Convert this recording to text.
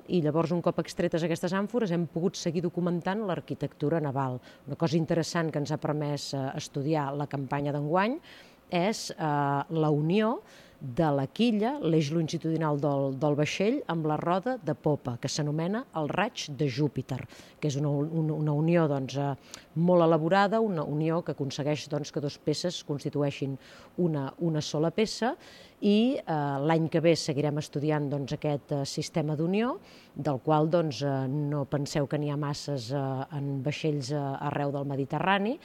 i llavors un cop extretes aquestes àmfores hem pogut seguir documentant l'arquitectura naval. Una cosa interessant que ens ha permès estudiar la campanya d'enguany és la unió de la quilla, l'eix longitudinal del vaixell, amb la roda de popa, que s'anomena el raig de Júpiter, que és una unió molt elaborada, una unió que aconsegueix que dues peces constitueixin una sola peça, i l'any que ve seguirem estudiant aquest sistema d'unió, del qual no penseu que n'hi ha masses en vaixells arreu del Mediterrani,